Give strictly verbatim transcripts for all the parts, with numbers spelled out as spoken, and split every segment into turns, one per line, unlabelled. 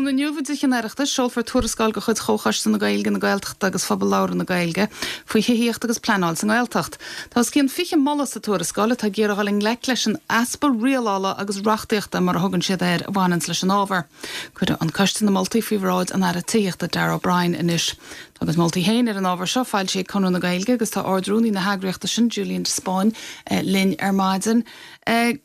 Tráthnóna inniu i dTithe an Oireachtais seolfar tuarascáil de chuid Chomhchoiste na Gaeilge na Gaeltachta agus Phobal Labhartha na Gaeilge faoi thithíocht agus pleanáil sa nGaeltacht. Tá os cionn fiche moladh sa tuarascáil atá ag iarraidh dul i ngleic leis an easpa rialála agus reachtaíochta mar a thugann siad air a bhaineann leis an ábhar. Cuirfidh an coiste na moltaí faoi bhráid an Aire Tithíochta Darragh O'Brien anois. Agus moltaí féin ar an ábhar seo foilsithe ag Conradh na Gaeilge agus tá Ard-Rúnaí na heagraíochta sin Julian de Spáinn eh, linn ar maidin. Eh,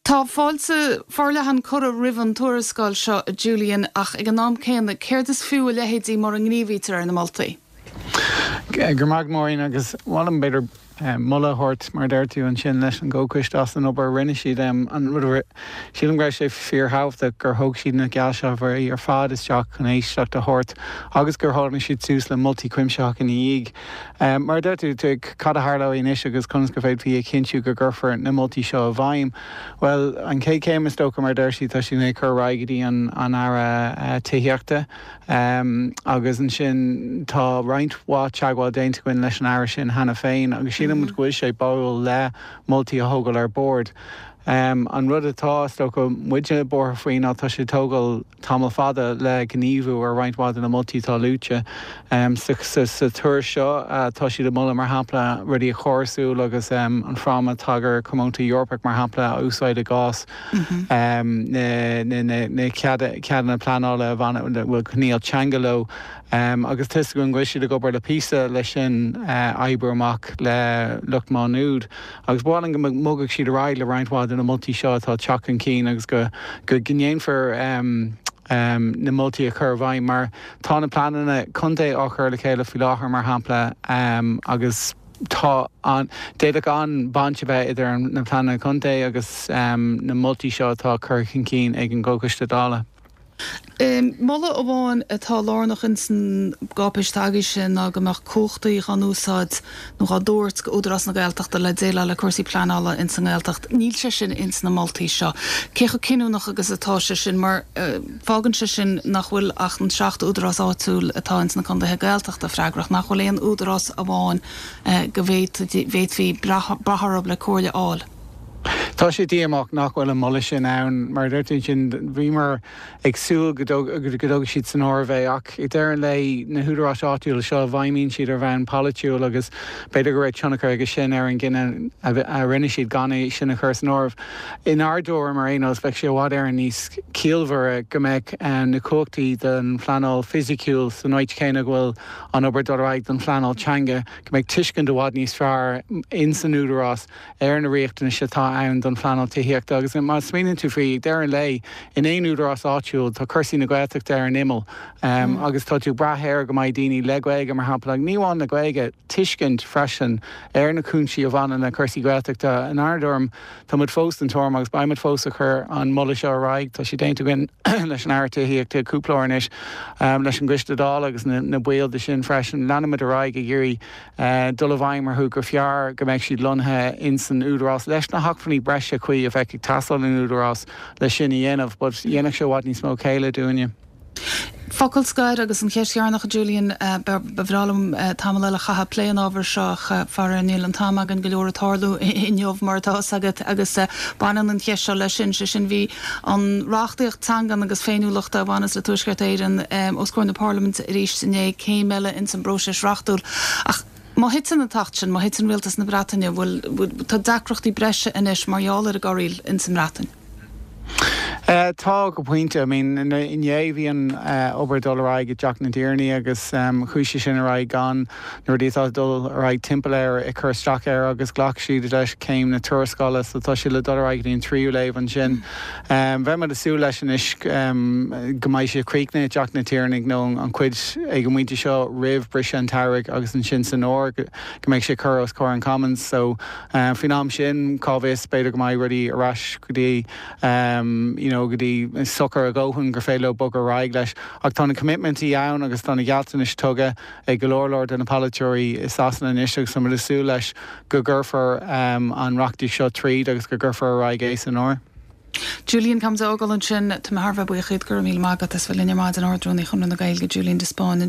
Tá fáilte forleathan curtha roimh an tuarascáil seo Julian ach ag an am céanna céard is fiú a leithéidí mura ngníomhaítear ar na moltaí.
Gur mag móin agus bham beidir mola thuirt mar deir tú ansin leis an gcomhchoiste as an obair rinne siad an rud sílim go raibh sé fíorthábhachtach gur thóg siad na geallsealbhóirí ar fad isteach chun éisteacht a thabhairt agus gur tháinig siad suas le moltaí cuimsitheacha ina dhiaidh. Mar deir tú cad a tharlóidh anois agus conas go bhféadfaí a chinntiú go gcuirfear na moltaí seo i bhfeidhm. Well an chéad chéim is dócha mar deir siad tá sin é chur go dtí an an Aire Tithíochta. Um, agus ansin tá roinnt mhaith teagmháil déanta againn leis an aire sin cheana féin agus sílim mm -hmm. go bhfuil sé báúil le moltaí a thógáil ar bord. Um, an rud atá go muide buartha faoi ná tá sé tógáil tamall fada le gníomhú ar roinnt mhaith de na moltaí atá luaite. Um, sa, sa, sa tuairisc seo uh, tá siad ag moladh mar shampla rudaí a chórasú agus um, an fráma tagartha comónta Eorpach mar shampla a úsáid i gcás mm -hmm. um, na, na, na, na ceadanna pleanála a bhfuil coinníoll teanga leo. Um, agus tá go bhfuil siad ag obair le píosa leis sin uh, oibriú amach le lucht Má Nuad. agus b'áil go mbogfaidh siad ar aghaidh le roinnt mhaith de na moltaí seo atá teacht chun cinn agus go go ndéanfar um, um, na moltaí a chur i bhfeidhm mar tá na pleananna contae á chur le chéile faoi láthair mar shampla um, agus tá an d'fhéadfadh an baint a bheith idir na pleananna contae agus um, na moltaí seo atá curtha chun cinn ag an gComhchoiste Dála.
Um, Moladh amháin atá lárnach in san gcáipéis tagaí sin ná go mbeadh cumhachtaí á n-úsáid nó á dtabhairt go Údarás na Gaeltachta le déileáil le cúrsaí pleanála in san nGaeltacht. Níl sé sin ins na moltaí seo. Cé chomh cinniúnach agus atá sé sin mar uh, fágann sé sin nach bhfuil ach an seacht údarás áitiúil atá ins na contaetha Gaeltachta freagrach, nach bhfuil aon údarás amháin uh, go bhféadfaí brath orthu le comhairle a fháil.
Tá sé díomách nach bhfuil an moladh sin ann mar deir sin bhíomar ag súil go dtógfaidh siad san áireamh é ach i deireadh le na húdaráis áitiúla seo feidhmíonn siad ar bhonn polaitiúil agus b'fhéidir go raibh tionchar aige sin ar an gcinneadh a rinne siad gan é sin a chur san áireamh. Inár dtuairim mar aon bheadh sé i bhfad Éireann níos ciallmhaire go mbeadh na cumhachtaí den phleanáil fisiciúil san áit chéanna go bhfuil an obair dul ar aghaidh don phleanáil teanga, go mbeadh tuiscint i bhfad níos fearr in san údarás ar na riachtanais atá ann don phleanáil tithíochta agus má smaoiníonn tú faoi deireadh lae in aon údarás áitiúil tá cúrsaí na Gaeltachta ar an imeall um, mm. agus tá tú brath air go mbeidh daoine le Gaeilge mar shampla ní amháin le Gaeilge tuiscint freisin ar na cúinsí a bhaineann le cúrsaí Gaeltachta inár dtuairim Tá muid fós den tuairim agus beimid fós ag cur an moladh seo ar aghaidh tá sé déanta againn leis an Aire Tithíochta cúpla uair anois um, leis an gCoiste Dála agus na, na baill de sin freisin leanfaimid ar aghaidh ag iarraidh uh, dul i bhfeidhm orthu gur fearr go mbeidh siad lonnaithe in san údarás leis na hacmhainní breise cuí a bheith ag teastáil in údarás le sin a dhéanamh, but dhéanfadh sé i bhfad níos mó céille dúinne.
Focal scoir agus an cheist dheireanach Julian ba bhreá liom tamall eile a chaitheamh ag plé an ábhar seo faraor níl an t-am againn go leor ag tarlú inniu mar atá agat agus baineann an cheist seo leis sin sé sin bhí an reachtaíocht teangan agus féiniúlachta a bhaineann le Tuaisceart Éireann os comhair na Parlaiminte arís inné céim eile in san bpróiseas reachtúil. Ach má thiteann an t-acht sin, má thiteann rialtas na Breataine bhfuil tá deacrachtaí breise anois mar gheall ar an gcorraíl in san mBreatain.
Uh, tá go pointe I mean inné bhí an uh, obair dul ar aghaidh i dTeach na dTiarnaí agus um, chuaigh sé sin ar aghaidh gan na rudaí atá dul ar aghaidh timpeall air ag cur isteach air agus ghlac siad leis céim na tuarascála so tá sé le dul ar aghaidh an tríú léamh ansin. Um, Bheadh muid ag súil leis anois um, go mbeidh sé críochnaithe i dTeach na dTiarnaí nó an chuid ag an bpointe seo roimh briseadh an tsamhraidh agus ansin san fhómhar go mbeidh sé curtha os comhair an Commons so um, faoin am sin cá bhfios b'fhéidir go mbeidh rudaí ar ais go dtí um, you know, go dtí socair a dhóthain gur féidir leo bogadh ar aghaidh leis ach tá na commitmentí ann agus tá na gealltanais tugtha ag go leor leor de na polaiteoirí i Sasana anois agus tá súil leis go gcuirfear um, an reachtaíocht seo tríd agus go gcuirfear ar aghaidh é san fhómhar.
Julian Camzógal ansin tá mé thar a bheith buíoch go raibh míle maith agat as bheith linn ar maidin Ard-Rúnaí Chonradh na Gaeilge Julian de Spáinn.